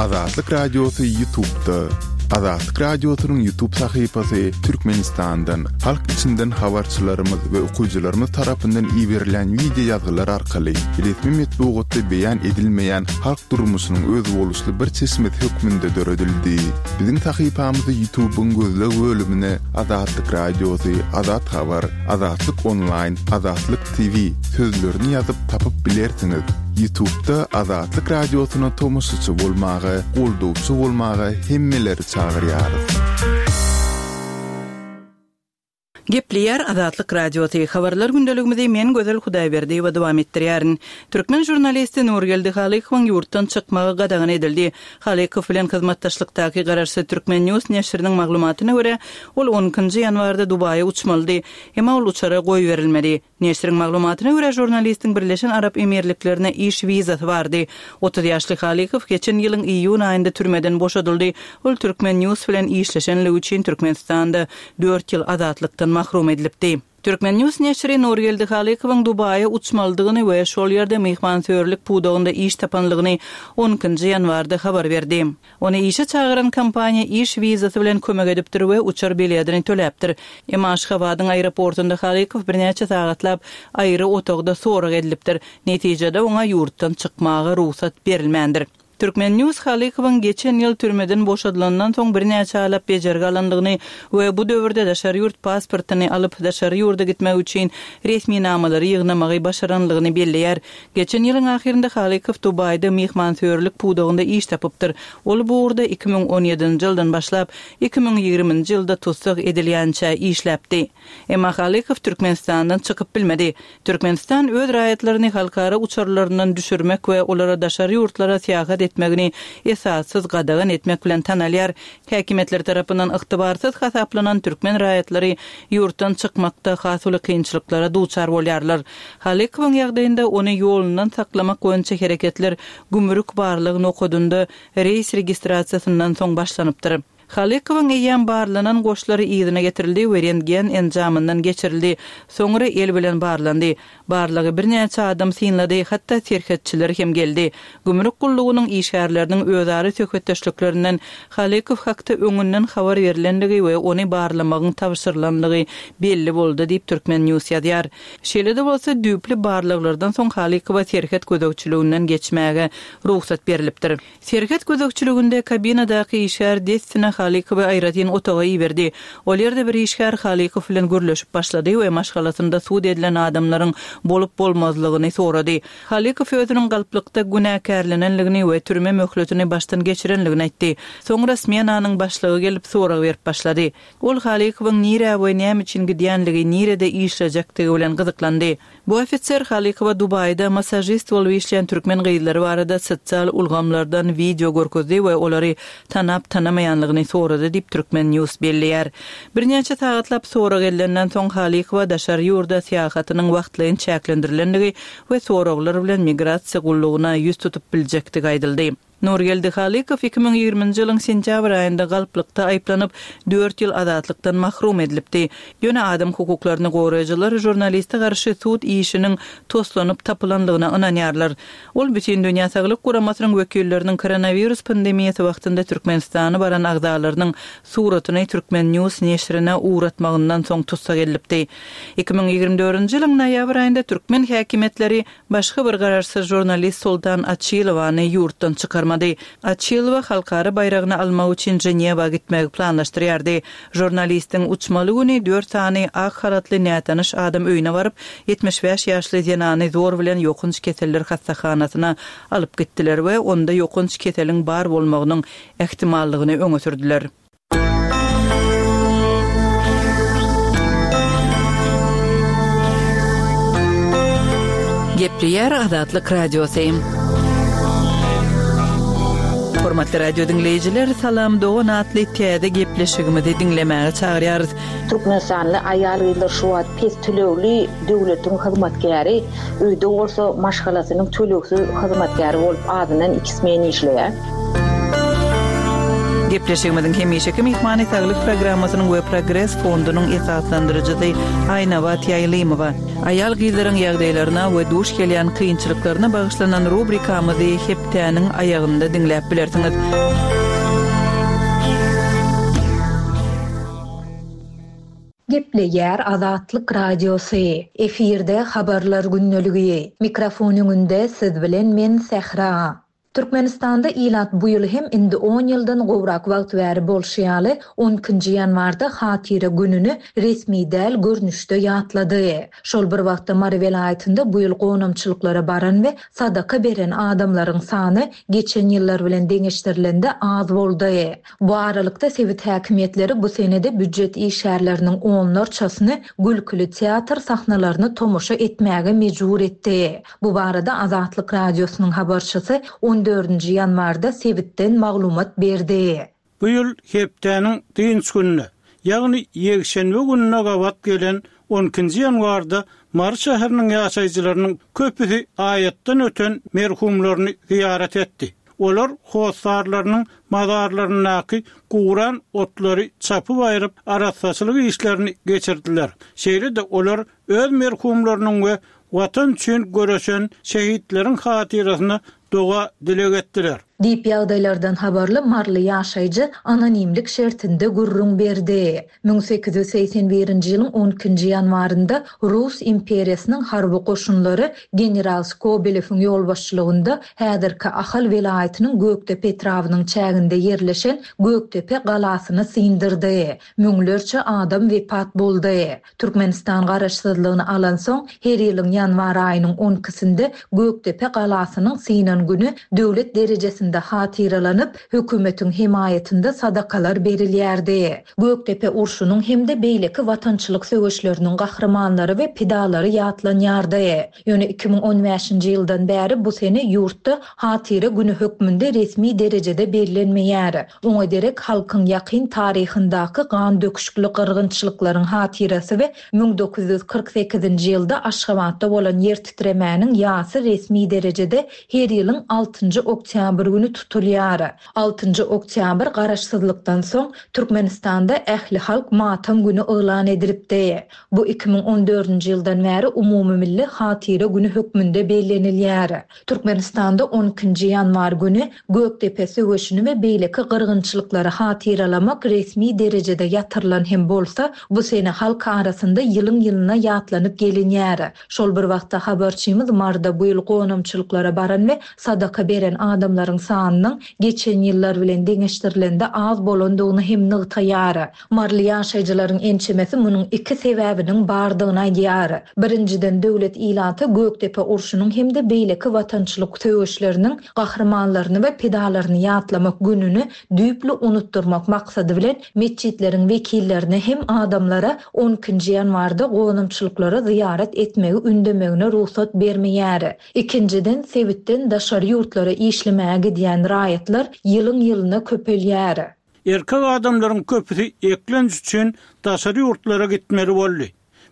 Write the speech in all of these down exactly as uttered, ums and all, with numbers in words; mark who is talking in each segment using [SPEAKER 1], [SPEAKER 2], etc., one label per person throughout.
[SPEAKER 1] Azatlyk Radiosy YouTube'da. Azatlyk Radiosynyň YouTube sahypasy Türkmenistandan, halk içinden habarçylarymyz we okyjylarymyz tarapyndan iberilen wideo ýazgylar arkaly resmi metbugatda beýan edilmeýän halk durmuşynyň özboluşly bir çeşmesi hökmünde döredildi. Biziň sahypamyzy YouTube'yň gözleg bölümine Azatlyk Radiosy, Azat Habar, Azatlyk Online, Azatlyk TV sözlerini ýazyp tapyp bilersiňiz. YouTube'da Azatlyk Radiosyna tomaşaçy bolmaga, goldawçy bolmaga hemmeleri çagyrýarys.
[SPEAKER 2] Gepleýär Azatlyk Radiosy. Habarlar gündeligimizi men Gözel Hudaýberdiýewa dowam etdirýärin. Türkmen žurnalisti Nurgeldi Halykowyň ýurtdan çykmagy gadagan edildi. Halykow bilen hyzmatdaşlykdaky garaşsyz Türkmen News neşiriniň maglumatyna görä, ol on ikinji ýanwarda Dubaýa uçmalydy. Emma ol uçara goýberilmedi. Neşiriň maglumatyna görä, žurnalistiň Birleşen Arap Emirliklerine iş wizasy bardy. otuz ýaşly Halykow geçen ýylyň iýun aýynda türmeden boşadyldy. Ol Türkmen News bilen işleşenligi üçin Türkmenistanda dört ýyl azatlykdan mahrum edilipdi. Türkmen News neşiri Nurgeldi Halykowyň Dubaýa uçmalydygyny we şol ýerde myhmansöýerlik pudagynda iş tapanlygyny on ikinji ýanwarda habar berdi. Ony işe çagyran kompaniýa iş wizasy bilen kömek edipdir we uçar biletini töläpdir. Emma Aşgabadyň aeroportunda Halykow birnäçe sagatlap aýry otagda sorag edilipdir. Netijede oňa ýurtdan çykmaga rugsat berilmändir. Türkmen News Halykowyň geçen ýyl türmeden boşadylandan soň birnäçe aýlap bejergi alandygyny we bu döwürde daşary ýurt pasportyny alyp daşary ýurda gitmek üçin resminamalary ýygnamagy başaranlygyny belleýär. Geçen ýylyň ahyrynda Halykow Dubaýda myhmansöýerlik pudagynda iş tapypdyr. Ol bu ugurda iki müň on ýedinji ýyldan başlap iki müň ýigriminji ýylda tussag edilýänçä işläpdi. Emma Halykow Türkmenistandan çykyp bilmedi. Türkmenistan öz raýatlaryny halkara uçarlaryndan düşürmek we olara daşary ýurtlara syýahat etmegini esassyz gadagan etmek bilen tanalýar. Häkimiýetler tarapyndan ygtybarsyz hasaplanan türkmen raýatlary ýurtdan çykmakda has uly kynçylyklara duçar bolýarlar. Halykowyň ýagdaýynda ony ýolundan saklamak boýunça hereketler gümrük barlygy nokadynda reýs registrasiýasyndan soň başlanypdyr. Halykowyň eýýäm barlanan goşlary yzyna getirildi we rentgen enjamyndan geçirildi. Soňra el bilen barlandy. Barlygy birnäçe adam synlady, hatda serhetçiler hem geldi. Gümrük gullugynyň işgärleriniň özara söhbetdeşliklerinden Halykow hakda öňünden habar berilendigi we ony barlamagyň tabşyrylandygy belli boldy diýip Türkmen News ýazýar. Şeýle-de bolsa düýpli barlaglardan soň Halykowa serhet gözegçiliginden geçmäge rugsat berilipdir. Serhet gözegçiliginde kabinadaky işgär dessine Halykowy aýratyn otaga iberdi. Ol ýerde bir işgär Halykow bilen gürleşip başlady we maşgalasynda sud edilen adamlaryň bolup bolmazlygyny sorady. Halykow özüniň galplykda günäkärlenenligini we türme möhletini başdan geçirenligini aýtdy. Soňra smenanyň başlygy gelip sorag berip başlady. Ol Halykowyň nirä we näme üçin gidýänligi, nirede işlejekdigi bilen gyzyklandy. Bu ofiser Halykowa Dubaýda massajist bolup işleýän türkmen gyzlary barada sosial ulgamlardan wideo görkezdi we olary tanap tanamaýanlygyny sorady diýip Türkmen News belleýär. Birnäçe sagatlap sorag edilenden soň Halykowa daşary ýurda syýahatynyň wagtlaýyn çäklendirilendigi we soraglar bilen migrasiýa gullugyna ýüz tutup biljekdigi aýdyldy. Nurgeldi Halykow iki müň ýigriminji ýylyň sentýabr aýynda galplykda aýyplanyp, dört ýyl azatlykdan mahrum edilipdi. Ýöne adam hukuklaryny goraýjylar žurnaliste garşy sud işiniň toslanyp tapylanlygyna ynanýarlar. Ol Bütün Dünýä Saglyk Guramasynyň wekilleriniň koronawirus pandemiýasy wagtynda Türkmenistana baran agzalarynyň suratyny Türkmen News neşirine ugratmagyndan soň tussag edilipdi. Iki müň ýigrimi dördünji ýylyň noýabr aýynda türkmen häkimiýetleri başga bir garaşsyz žurnalist Sultan Açilowany ýurtdan çykarmady. Açilowa halkara baýragyny almak üçin Ženewa gitmegi planlaşdyrýardy. Žurnalistiň uçmaly güni dört sany ak halatly nätanyş adam öýüne baryp, ýetmiş bäş ýaşly zenany zor bilen ýokunç keseller hassahanasyna alyp gitdiler we onda ýokunç keseliň bar bolmagynyň ähtimallygyny öňe sürdüler. Gepleýär Azatlyk Radiosy. Hormatly radio dinleýjiler, Salam Dogan atly täze gepleşigimizi diňlemäge çagyrýarys.
[SPEAKER 3] Türkmenistanly aýal gyzlar şu wagt pes tölegli döwletiň hyzmatkäri, öýde bolsa maşgalasynyň tölegsiz hyzmatkäri bolup azyndan iki smen işleýär.
[SPEAKER 2] Gepleşigimiziň hemişeki myhmany saglyk programmasynyň we Progres fondunyň esaslandyryjysy Aýnabat Ýaýlymowa. Aýal gyzlaryň ýagdaýlaryna we duş gelýän kynçylyklaryna bagyşlanan rubrikamyzy hepdäniň aýagynda diňläp bilersiňiz.
[SPEAKER 4] Gepleýär Azatlyk Radiosy. Efirde habarlar gündeligi. Mikrofon öňünde siz bilen men Sähra. Türkmenistanda ilat bu ýyl hem indi on ýyldan gowrak wagt bäri bolşy ýaly on ikinji ýanwarda Hatyra gününi resmi däl görnüşde ýatlady. Şol bir wagtda Mary welaýatynda bu ýyl gonamçylyklara baran we sadaka beren adamlaryň sany geçen ýyllar bilen deňeşdirilende az boldy. Bu aralykda sebit häkimiýetleri bu senede büdjet işgärleriniň onlarçasyny gülküli teatr sahnalaryny tomaşa etmäge mejbur etdi. Bu barada Azatlyk Radiosynyň habarçysy on dördünji ýanwarda sebitden maglumat berdi.
[SPEAKER 5] Bu ýyl hepdäniň dynç gününe, ýagny ýekşenbe gününe gabat gelen on ikinji ýanwarda Mary şäheriniň ýaşaýjylarynyň köpüsi aýatdan öten merhumlaryny ziýaret etdi. Olar hossarlarynyň mazarlaryndaky guran otlary çapyp aýryp arassaçylyk işlerini geçirdiler. Şeýle-de olar öz merhumlarynyň we watan üçin göreşen şehitleriň hatyrasyna doga dileg etdiler.
[SPEAKER 4] Diýip ýagdaýlardan habarly Marly ýaşaýjy anonimlik şertinde gürrüň berdi. Müň sekiz ýüz segsen birinji ýylyň on ikinji ýanwarynda Rus imperiýasynyň harby goşunlary general Skobelewiň ýolbaşçylygynda häzirki Ahal welaýatynyň Gökdepe etrabynyň çäginde ýerleşen Gökdepe galasyny syndyrdy. Müňlerçe adam wepat boldy. Türkmenistan garaşsyzlygyny alan soň her ýylyň ýanwar aýynyň on ikisinde Gökdepe galasynyň synan günü döwlet derejesinde hatyralanyp, hökümetiň hemaýatynda sadakalar berilýärdi. Gökdepe urşunyň hem-de beýleki watançylyk söweşleriniň gahrymanlary we pidalary ýatlanýardy. Ýöne iki müň on bäşinji ýyldan bäri bu sene ýurtda hatyra günü hökmünde resmi derejede bellenmeýär. Oňa derek halkyň ýakyn taryhyndaky gan döküşikli gyrgynçylyklaryň hatyrasy we müň dokuz ýüz kyrk sekizinji ýylda Aşgabatda bolan ýer titremäniň ýasy resmi derejede her ýylyň altynjy oktýabr günü tutulýar. Altynjy oktýabr garaşsyzlykdan soň Türkmenistanda ähli halk matam günü yglan edilipdi. Bu iki müň on dördünji ýyldan bäri umumy milli hatyra günü hökmünde bellenilýär. Türkmenistanda on ikinji ýanwar günü Gökdepe söweşini we beýleki gyrgynçylyklary hatyralamak resmi derejede ýatyrylan hem bolsa, bu sene halk arasynda ýylyň-ýylyna ýatlanyp gelinýär. Şol bir wagtda habarçymyz Marda bu ýyl gonamçylyklara baran we sadaka beren adamlaryň sanynyň geçen ýyllar bilen deňeşdirilende az bolandygyny hem nygtaýar. Marly ýaşaýjylaryň ençemesi munuň iki sebäbiniň bardygyny aýdýar. Birinjiden döwlet ilaty Gökdepe urşunyň hem-de beýleki watançylyk söweşleriniň gahrymanlaryny we pidalaryny ýatlamak gününi düýpli unutdurmak maksady bilen metjitleriň wekillerine hem adamlara on ikinji ýanwarda gonamçylyklara zyýarat etmegi ündemegine rugsat bermeýär. Ikinjiden sebitden daşary ýurtlara işlemäge gidýän raýatlar ýylyň-ýylyna köpelýär.
[SPEAKER 5] Erkek adamlaryň köpüsi eklenç üçin daşary ýurtlara gitmeli boldy.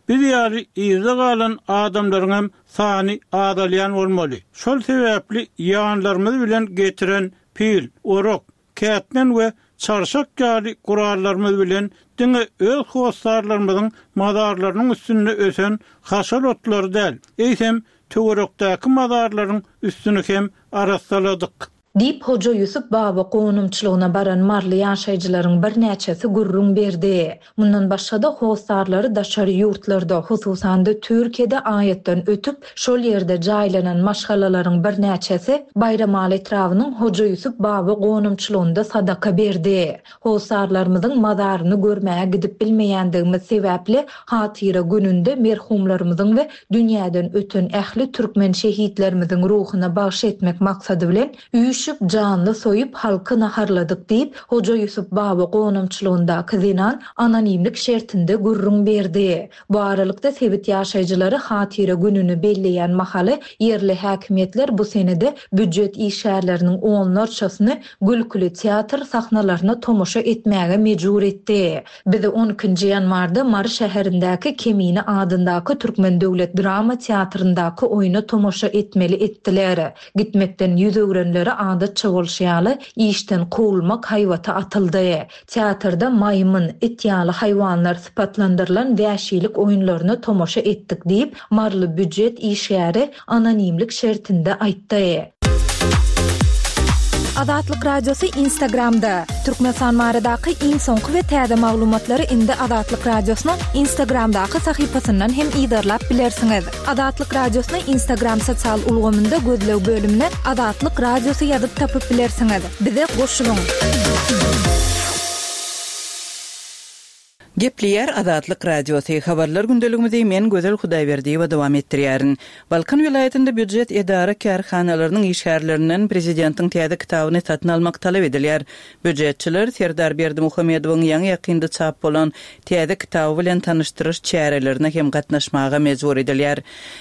[SPEAKER 5] Biz ýaly yzda galan adamlaryň hem sany azalýan bolmaly. Şol sebäpli ýanlarymyz bilen getiren pil, orak, kätmen we çarşak ýaly gurallarymyz bilen diňe öz hossarlarymyzyň mazarlarynyň üstünde ösen haşal otlary däl, eýsem töwerekdäki mazarlaryň üstüni hem arassaladyk.
[SPEAKER 4] Diýip Hoja Ýusup baba gonamçylygyna baran Marly ýaşaýjylaryň birnäçesi gürrüň berdi. Mundan başga-da hossarlary daşary ýurtlarda, hususan-da Türkiýede aýatdan ötüp, şol ýerde jaýlanan maşgalalaryň birnäçesi Baýramaly etrabynyň Hoja Ýusup baba gonamçylygynda sadaka berdi. Hossarlarymyzyň mazaryny görmäge gidip bilmeýändigimiz sebäpli hatyra gününde merhumlarymyzyň we dünýäden öten ähli türkmen şehitlerimiziň ruhuna bagyş etmek maksady bilen üýşüp janly soýup halky naharladyk diýip Hoja Ýusup baba gonamçylygyndaky zenan anonimlik şertinde gürrüň berdi. Bu aralykda sebit ýaşaýjylary hatyra gününi belleýän mahaly ýerli häkimiýetler bu senede büdjet işgärleriniň onlarçasyny gülküli teatr sahnalaryna tomaşa etmäge mejbur etdi. Bizi on ikinji ýanwarda Mary şäherindäki Kemine adyndaky Türkmen döwlet drama teatryndaky oýuna tomaşa etmeli etdiler. Gitmekden ýüz öwrenlere Adatça bolşy ýaly, işden kowulmak haýbaty atyldy. Teatrda maýmyn, it ýaly haýwanlar sypatlandyrylan wäşilik oýunlaryna tomaşa etdik diýip, maryly býujet işgäri anonimlik şertinde aýtdy.
[SPEAKER 6] Azatlyk Radiosy Instagramda. Türkmenistan baradaky iň soňky we täze maglumatlary indi Azatlyk Radiosynyň Instagramdaky sahypasyndan hem yzarlap bilersiňiz. Azatlyk Radiosyny Instagram sosial ulgamynda gözleg bölümine Azatlyk Radiosy ýazyp tapyp bilersiňiz. Bize goşulyň.
[SPEAKER 2] Gepleýär Azatlyk Radiosy. Habarlar gündeligimizi men Gözel Hudaýberdiýewa dowam etdirýärin. Balkan welaýatynda býujet edara kärhanalarynyň işgärlerinden prezidentiň täze kitabyny satyn almak talap edilýär. Býujetçiler Serdar Berdimuhamedowyň ýaňy ýakynda çap bolan täze kitaby bilen tanyşdyryş çärelerine hem gatnaşmaga mejbur edilýär.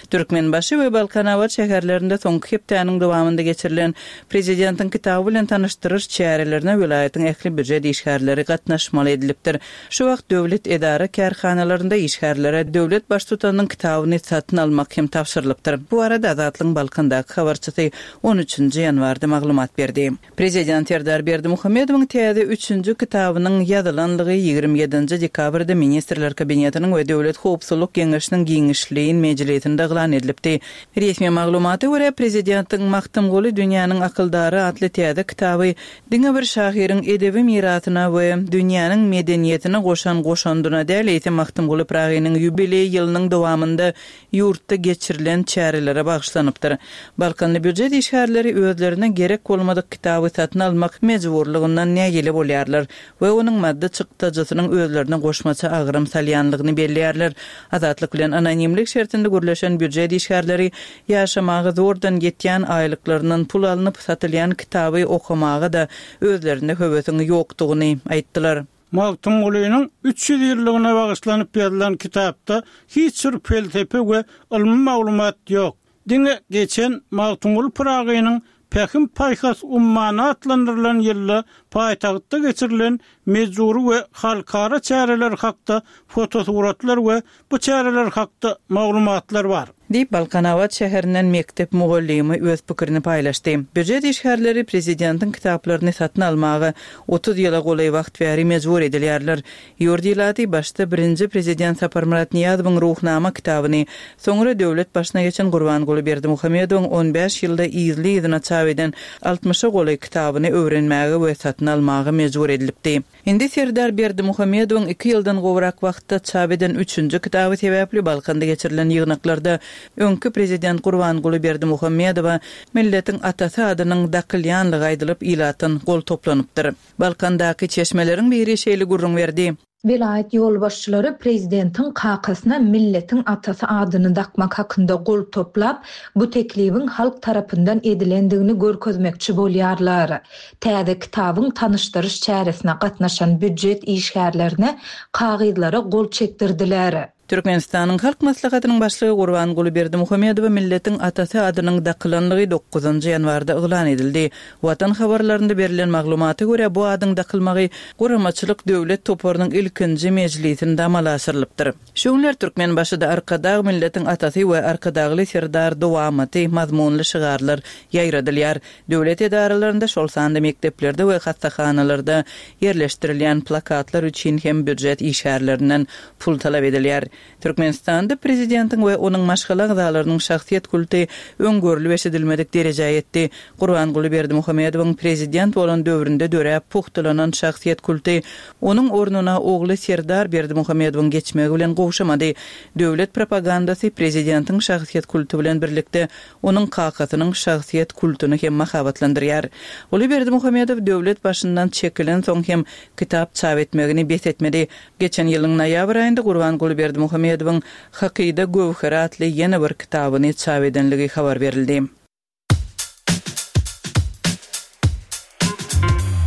[SPEAKER 2] Türkmenbaşy we Balkanabat şäherlerinde soňky hepdäniň dowamynda geçirilen prezidentiň kitaby bilen tanyşdyryş çärelerine welaýatyň ähli býujet işgärleri gatnaşmaly edilipdir. Şu wagt döwlet edara kärhanalarynda işgärlere döwlet baştutanynyň kitabyny satyn almak hem tabşyrylypdyr. Bu arada Azatlygyň Balkandaky habarçysy on üçünji ýanwarda maglumat berdi. Prezident Serdar Berdimuhamedowyň täze üçünji kitabynyň ýazylanlygy ýigrimi ýedinji dekabrda Ministrler Kabinetiniň we Döwlet Howpsuzlyk Geňeşiniň giňişleýin mejlisinde yglan edilipdi. Resmi maglumata görä, prezidentiň Magtymguly dünýäniň akyldary atly täze kitaby diňe bir şahyryň edebi mirasyna we dünýäniň medeniýetine goşan goşandyna däl, eýsem Magtymguly Pyragynyň ýubileý ýylynyň dowamynda ýurtda geçirilen çärelere bagyşlanypdyr. Balkanly býujet işgärleri özlerine gerek bolmadyk kitaby satyn almak mejburlygyndan nägile bolýarlar we onuň maddy çykdajysynyň özlerine goşmaça agram salýanlygyny belleýärler. Azatlyk bilen anonimlik şertinde gürleşen býujet işgärleri ýaşamaga zordan ýetýän aýlyklaryndan pul alnyp satylýan kitaby okamaga da özlerinde höwesiň ýokdugyny aýtdylar.
[SPEAKER 5] Magtymgulynyň üç ýüz ýyllygyna bagyşlanyp ýazylan kitapda hiç bir felsefe we ylmy maglumat ýok. Diňe geçen Magtymguly Pyragynyň Pähim paýhas ummany atlandyrylan ýylda paýtagtda geçirilen mejbury we halkara çäreler hakda fotosuratlar we bu çäreler hakda maglumatlar bar.
[SPEAKER 2] Diýip, Balkanabat şäherinden mekdep mugallymy öz pikirini paýlaşdy. Býujet işgärleri prezidentiň kitaplaryny satyn almaga otuz ýyla golaý wagt bäri mejbur edilýärler. Ýurt ilaty başda birinji prezident Saparmyrat Nyýazowyň Ruhnama kitabyny, soňra döwlet başyna geçen Gurbanguly Berdimuhamedowyň on bäş ýylda yzly-yzyna çap eden altmyşa golaý kitabyny öwrenmäge we satyn almaga mejbur edilipdi. Indi Serdar Berdimuhamedowyň iki ýyldan gowrak wagtda çap eden üçünji kitaby sebäpli Balkanda geçirilen ýygnaklarda öňki prezident Gurbanguly Berdimuhamedowa milletiň atasy adynyň dakylýanlygy aýdylyp ilatdan gol toplanypdyr. Balkandaky çeşmeleriň biri şeýle gürrüň berdi.
[SPEAKER 4] Welaýat ýolbaşçylary prezidentiň kakasyna milletiň atasy adyny dakmak hakynda gol toplap, bu teklibiň halk tarapyndan edilendigini görkezmekçi bolýarlar. Täze kitabyň tanyşdyryş çäresine gatnaşan býujet işgärlerine kagyzlara gol çekdirdiler.
[SPEAKER 2] Türkmenistanyň Halk Maslahatynyň başlygy Gurbanguly Berdimuhamedowa milletiň atasy adynyň dakylanlygy dokuzynjy ýanwarda yglan edildi. Watan habarlarynda berilen maglumata görä bu adyň dakylmagy guramaçylyk döwlet toparynyň ilkinji mejlisinde amala aşyrylypdyr. Şu günler Türkmenbaşyda Arkadag milletiň atasy we Arkadagly Serdar dowamaty mazmunly şygarlar ýaýradylýar. Döwlet edaralarynda, şol sanda mekdeplerde we hassahanalarda ýerleşdirilýän plakatlar üçin hem býujet işgärlerinden pul talap edilýär. Türkmenistanda prezidentiň we onuň maşgala agzalarynyň şahsyýet kulty öňgörülip eşidilmedik derejä ýetdi. Gurbanguly Berdimuhamedowyň prezident bolan döwründe döräp puhtalanan şahsyýet kulty onuň ornuna ogly Serdar Berdimuhamedowyň geçmegi bilen gowşamady. Döwlet propagandasy prezidentiň şahsyýet kulty bilen birlikde onuň kakasynyň şahsyýet kultuny hem mahabatlandyrýar. Uly Berdimuhamedow döwlet başyndan çekilen soň hem kitap çap etmegini bes etmedi. Geçen ýylyň noýabr aýynda Gurbanguly Berdimuhamedowyň Hakyda Göwher atly ýene bir kitabyny çap edenligi habar berildi.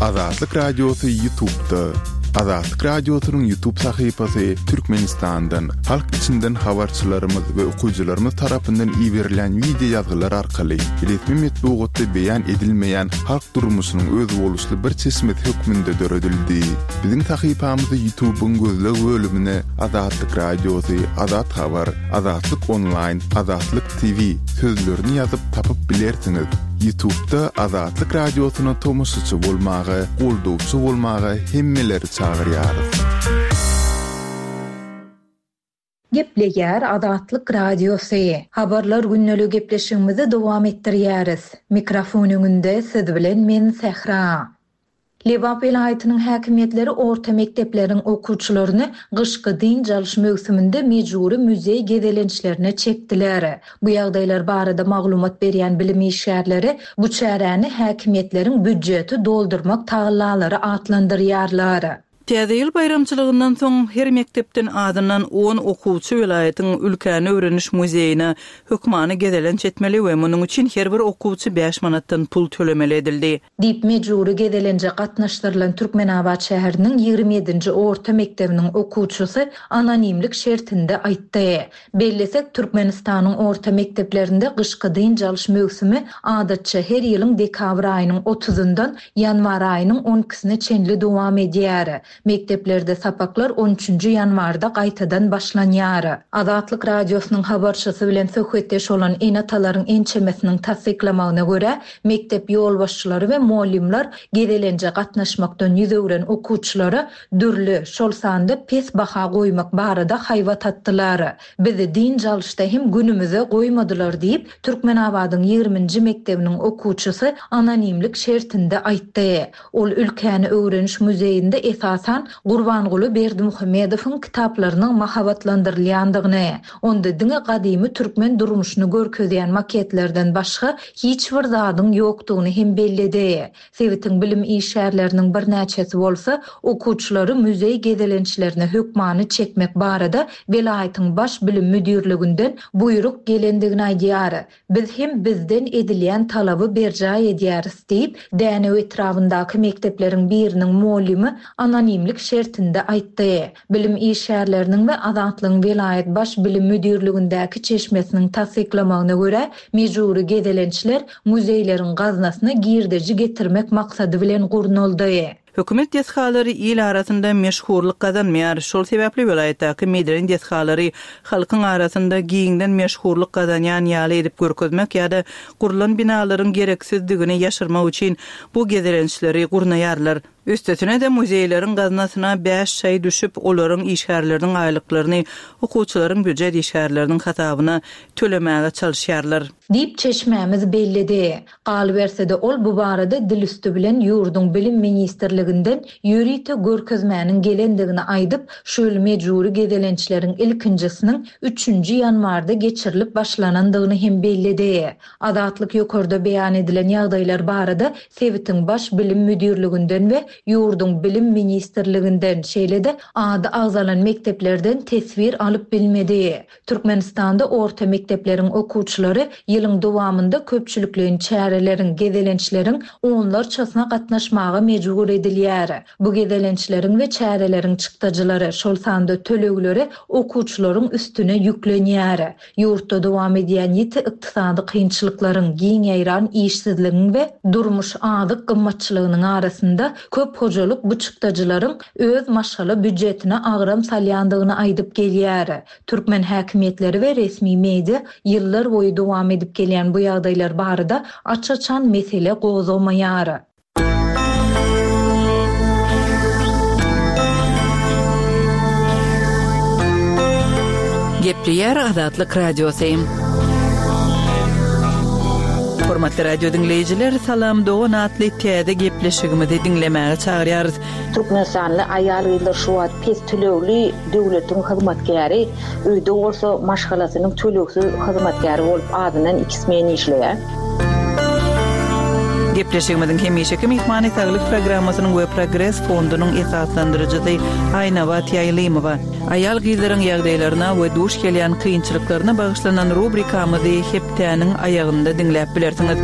[SPEAKER 1] Azatlyk Radiosy YouTube'da. Azatlyk Radiosynyň YouTube sahypasy Türkmenistandan, halk içinden habarçylarymyz we okyjylarymyz tarapyndan iberilen video ýazgylar arkaly resmi metbugatda beýan edilmeýän halk durmuşynyň özboluşly bir çeşmesi hökmünde döredildi. Biziň sahypamyzy YouTube'yň gözleg bölümine Azatlyk Radiosy, Azat Habar, Azatlyk Online, Azatlyk T V sözlerini ýazyp tapyp bilersiňiz. YouTube'da Azatlyk Radiosyna tomaşaçy bolmaga, goldawçy bolmaga hemmeleri çagyrýarys.
[SPEAKER 4] Gepleýär Azatlyk Radiosy. Habarlar gündelik gepleşigimizi dowam etdirýäris. Mikrofon öňünde siz bilen men Sähra. Lebap welaýatynyň häkimiýetleri orta mekdepleriň okuwçylaryny gyşky dynç alyş möwsüminde mejbury muzeý gezelençlerine çekdiler. Bu ýagdaýlar barada maglumat berýän bilim işgärleri bu çäräni häkimiýetleriň býudjeti doldurmak tagallalary atlandyrýarlar.
[SPEAKER 2] Täze ýyl baýramçylygyndan soň her mekdepden azyndan on okuwçy welaýatyň ülkäni öwreniş muzeýine hökmany gezelenç etmeli we munuň üçin her bir okuwçy bäş manatdan pul tölemeli edildi.
[SPEAKER 4] Diýip mejbury gezelenje gatnaşdyrylan Türkmenabat şäheriniň ýigrimi ýedinji orta mekdebiniň okuwçysy anonimlik şertinde aýtdy. Bellesek, Türkmenistanyň orta mekdeplerinde gyşky dynç alyş möwsümi adatça her ýylyň dekabr aýynyň otuzyndan ýanwar aýynyň on ikisine çenli dowam edýär. Mekdeplerde sapaklar on üçünji ýanwarda gaýtadan başlanýar. Azatlyk Radiosynyň habarçysy bilen söhbetdeş bolan ene-atalaryň ençemesiniň tassyklamagyna görä, mekdep ýolbaşçylary we muallimler gezelenje gatnaşmakdan ýüz öwren okuwçylara dürli, şol sanda pes baha goýmak barada haýbat atdylar. Bizi dynç alyşda hem günümize goýmadylar diýip, Türkmenabadyň ýigriminji mekdebiniň okuwçysy anonimlik şertinde aýtdy. Ol ülkäni öwreniş muzeýinde esasan Gurbanguly Berdimuhamedowyň kitaplarynyň mahabatlandyrylýandygyny, onda diňe gadymy türkmen durmuşyny görkezýän maketlerden başga hiç bir zadyň ýokdugyny hem belledi. Sebitiň bilim işgärleriniň birnäçesi bolsa okuwçylary muzeý gezelençlerine hökmany çekmek barada welaýatyň baş bilim müdirliginden buýruk gelendigini aýdýar. Biz hem bizden edilýän talaby berjaý edýäris diýip, Dänew etrabyndaky mekdepleriň biriniň muallimi anonimlik şertinde aýtdy. Bilim işgärleriniň we Azatlygyň welaýat baş bilim müdirligindäki çeşmesiniň tassyklamagyna görä, mejbury gezelençler muzeýleriň gaznasyna girdeji getirmek maksady bilen gurnaldy.
[SPEAKER 2] Hökümet desgalary il arasynda meşhurlyk gazanmaýar. Şol sebäpli welaýatdaky medeni desgalary halkyň arasynda giňden meşhurlyk gazanýan ýaly edip görkezmek ýa-da gurlan binalaryň gereksizdigini ýaşyrmak üçin bu gezelençleri gurnaýarlar. Üstesine de muzeýleriň gaznasyna bäş çaý düşüp, olaryň işgärleriniň aýlyklaryny okuwçylaryň býujet işgärleriniň hasabyna tölemäge çalyşýarlar.
[SPEAKER 4] Diýip çeşmämiz belledi. Galyberse-de ol bu barada dil üstü bilen ýurduň bilim ministrliginden ýörite görkezmäniň gelendigini aýdyp, şu ýyl mejbury gezelençleriň ilkinjisiniň üçünji ýanwarda geçirilip başlanandygyny hem belledi. Azatlyk ýokarda beýan edilen ýagdaýlar barada sebitiň baş bilim müdirliginden we ýurduň bilim ministrliginden, şeýle-de ady agzalan mekdeplerden teswir alyp bilmedi. Türkmenistanda orta mekdepleriň okuwçylary ýylyň dowamynda köpçülikleýin çäreleriň, gezelençleriň onlarçasyna gatnaşmaga mejbur edilýär. Bu gezelençleriň we çäreleriň çykdajylary, şol sanda tölegleri okuwçylaryň üstüne ýüklenýär. Ýurtda dowam edýän ýiti ykdysady kynçylyklaryň, giň ýaýran işsizligiň we durmuş azyk gymmatçylygynyň arasynda köp hojalyk bu çykdajylaryň öz maşgala býudjetine agram salýandygyny aýdyp gelýär. Türkmen häkimiýetleri we resmi media ýyllar boýy dowam edip gelýän bu ýagdaýlar barada aç-açan mesele gozgamaýar.
[SPEAKER 2] Gepleýär Azatlyk Radiosy. Hormatly radio diňleýjiler, Salam Dogan atly täze gepleşigimizi diňlemäge çagyrýarys.
[SPEAKER 3] Türkmenistanly aýal-gyzlar şu wagt pes tölegli döwletiň hyzmatkäri, öýde bolsa maşgalasynyň tölegsiz hyzmatkäri bolup azyndan iki smen işleýär.
[SPEAKER 2] Gepleşigimiziň hemişeki myhmany saglyk programmasynyň we Progres fondunyň esaslandyryjysy Aýnabat Ýaýlymowa. Aýal gyzlaryň ýagdaýlaryna we duş gelýän kynçylyklaryna bagyşlanan rubrikamyzy hepdäniň aýagynda diňläp bilersiňiz.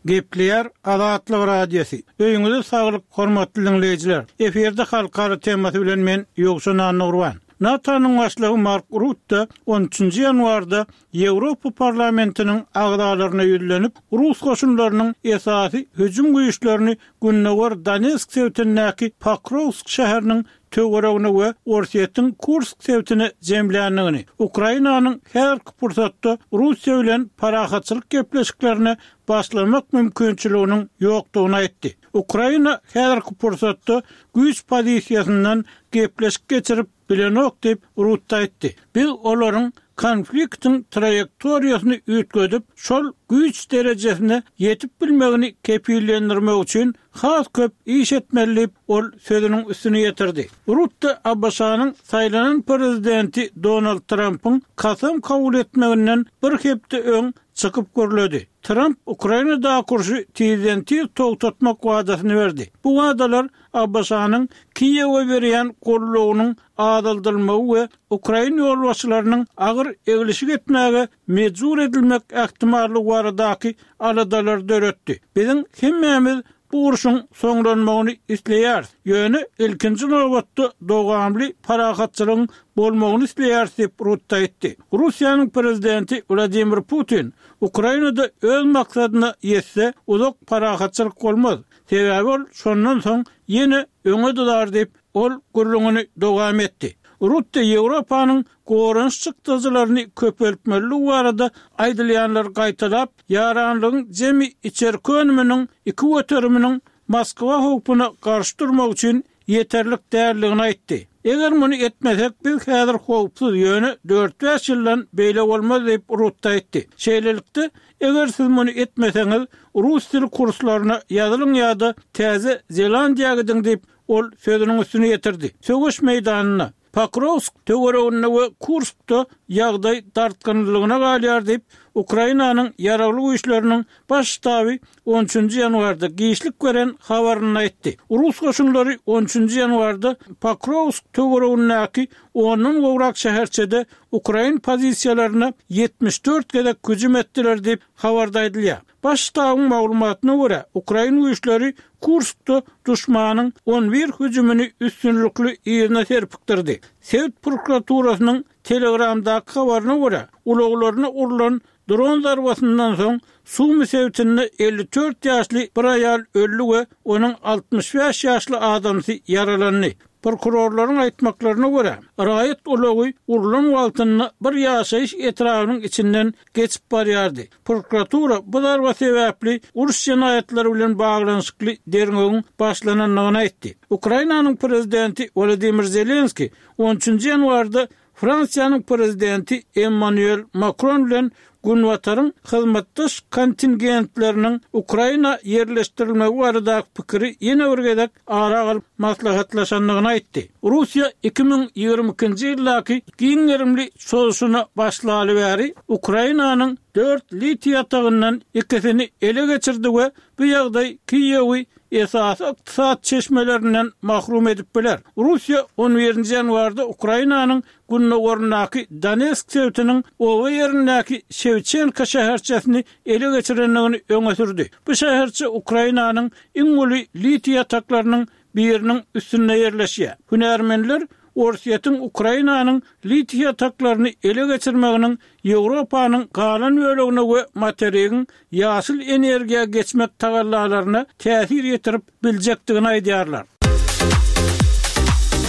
[SPEAKER 5] Gepleýär Azatlyk Radiosy. Öýüňize saglyk, hormatly diňleýjiler. Efirde halkara temasy bilen men Ýowşan Annurban. NATO-nyň başlygy Mark Rutte on üçünji ýanwarda Ýewropa parlamentiniň agzalaryna ýüzlenip, Rus goşunlarynyň esasy hüjüm güýçlerini Gündogar Donetsk sebitindäki Pokrovsk şäheriniň töweregine we Orsýetiň Kursk sebitine jemländigini, Ukrainanyň häzirki pursatda Russiýa bilen parahatçylyk gepleşiklerine başlamak mümkinçiliginiň ýokdugyny aýtdy. Ukraina häzirki pursatda güýç pozisiýasyndan gepleşik geçirip bilenok diýip Rutte aýtdy. Biz olaryň konfliktiň traýektoriýasyny üýtgedip, şol güýç derejesine ýetip bilmegini kepillendirmek üçin has köp iş etmeli diýip, ol sözüniň üstüni ýetirdi. Rutte ABŞ-nyň saýlanan prezidenti Donald Trampyň kasam kabul etmeginden bir hepde öň çykyp gürledi. Tramp Ukrainadaky urşy tizden-tiz togtatmak wadasyny berdi. Bu wadalar ABŞ-nyň Kiýewe berýän goldawynyň azaldylmagy we ukrain ýolbaşçylarynyň agyr eglişik etmäge mejbur edilmek ähtimallygy baradaky aladalary döretdi. Biziň hemmämiz bu urşuň soňlanmagyny isleýäris. Ýöne ilkinji nobatda dowamly parahatçylygyň bolmagyny isleýäris diýip Rutte aýtdy. Russiýanyň prezidenti Wladimir Putin Ukrainada öz maksadyna ýetse uzak parahatçylyk bolmaz. Sebäbi ol şondan soň ýene öňe dudar diýip ol gürrüňini dowam etdi. Rutte Ýewropanyň goranyş çykdajylaryny köpeltmeliligi barada aýdylýanlary gaýtalap, ýaranlygyň jemi içerki önüminiň iki göteriminiň Moskwa howpuna garşy durmak üçin ýeterlik däldigini aýtdy. Eger muny etmesek, biz häzir howpsuz, ýöne dört-bäş ýyldan beýle bolmaz diýip Rutte aýtdy. Şeýlelikde, eger siz muny etmeseňiz, rus dili kurslaryna ýazylyň ýa-da Täze Zelandiýa gidiň diýip, ol sözüniň üstüni ýetirdi. Söweş meýdanynda, Pokrowsk töwereginde we Kurskda ýagdaý dartgynlylygyna galýar diýip, Ukrainanyň Ýaragly Güýçleriniň Baş ştaby on üçünji ýanwarda giçlik beren habarynda aýtdy. Rus goşunlary on üçünji ýanwarda Pokrowsk töweregindäki ondan gowrak şäherçede ukrain pozisiýalaryna ýetmiş dört gezek hüjüm etdiler diýip, habarda aýdylýar. Baş ştabyň maglumatyna görä, ukrain güýçleri Kurskda duşmanyň on bir hüjümini üstünlikli yzyna serpikdirdi. Sebit prokuraturasynyň Telegramdaky habaryna görä, ulaglaryna urlan dron zarbasyndan soň Sumy sebitinde elli dört ýaşly bir aýal öldi we onuň altmyş bäş ýaşly adamsy ýaralandy. Prokurorlaryň aýtmaklaryna görä, raýat ulagy urlan wagtynda bir ýaşaýyş etrabynyň içinden geçip barýardy. Prokuratura bu zarba sebäpli uruş jenaýatlary bilen baglanyşykly derňewiň başlanandygyny aýtdy. Ukrainanyň prezidenti Wladimir Zelenskiý on üçünji ýanwarda Fransiýanyň prezidenti Emmanuel Makron bilen Günbataryň hyzmatdaş kontingentleriniň Ukraina ýerleşdirilmegi baradaky pikiri ýene bir gezek ara alyp maslahatlaşandygyny aýtdy. Russiýa iki müň ýigrimi ikinji ýyldaky giň gerimli çozuşyna başlaly bäri Ukrainanyň dört litiý ýatagyndan ikisini ele geçirdi we bu ýagdaý Kiýewi esasy ykdysady çeşmelerinden mahrum edip biler. Russiýa on birinji ýanwarda Ukrainanyň gündogaryndaky Donetsk sebitiniň oba ýerindäki Şewçenko şäherçesini ele geçirendigini öňe sürdi. Bu şäherçe Ukrainanyň iň uly litiý ýataklarynyň biriniň üstünde ýerleşýär. Hünärmenler Orsýetiň Ukrainanyň litiý ýataklaryny ele geçirmeginiň Ýewropanyň galan bölegine we materigiň ýaşyl energiýa geçmek tagallalaryna täsir ýetirip biljekdigini aýdýarlar.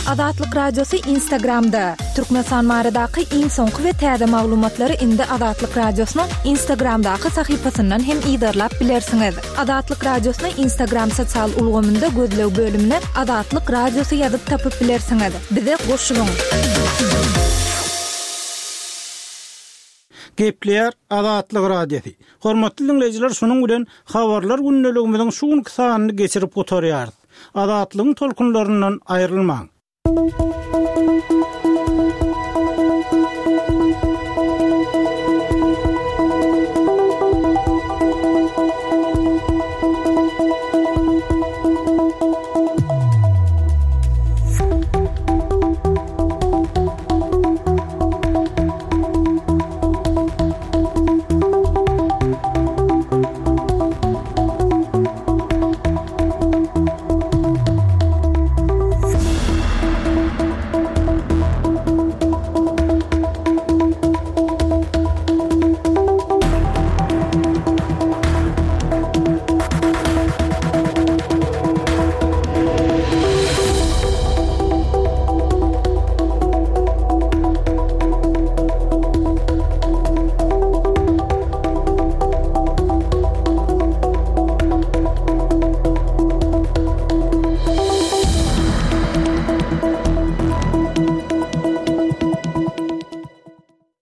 [SPEAKER 6] Azatlyk Radiosy Instagramda. Türkmenistan baradaky iň soňky we täze maglumatlary indi Azatlyk Radiosynyň Instagramdaky sahypasyndan hem yzarlap bilersiňiz. Azatlyk Radiosyny Instagram sosial ulgamynda gözleg bölümine Azatlyk Radiosy ýazyp tapyp bilersiňiz. Bize goşulyň.
[SPEAKER 5] Gepleýär Azatlyk Radiosy. Hormatly dinleýjiler, şunuň bilen habarlar gündeligimiziň şu günki sanyny geçirip gutarýarys. Azatlygyň tolkunlaryndan aýrylmaň.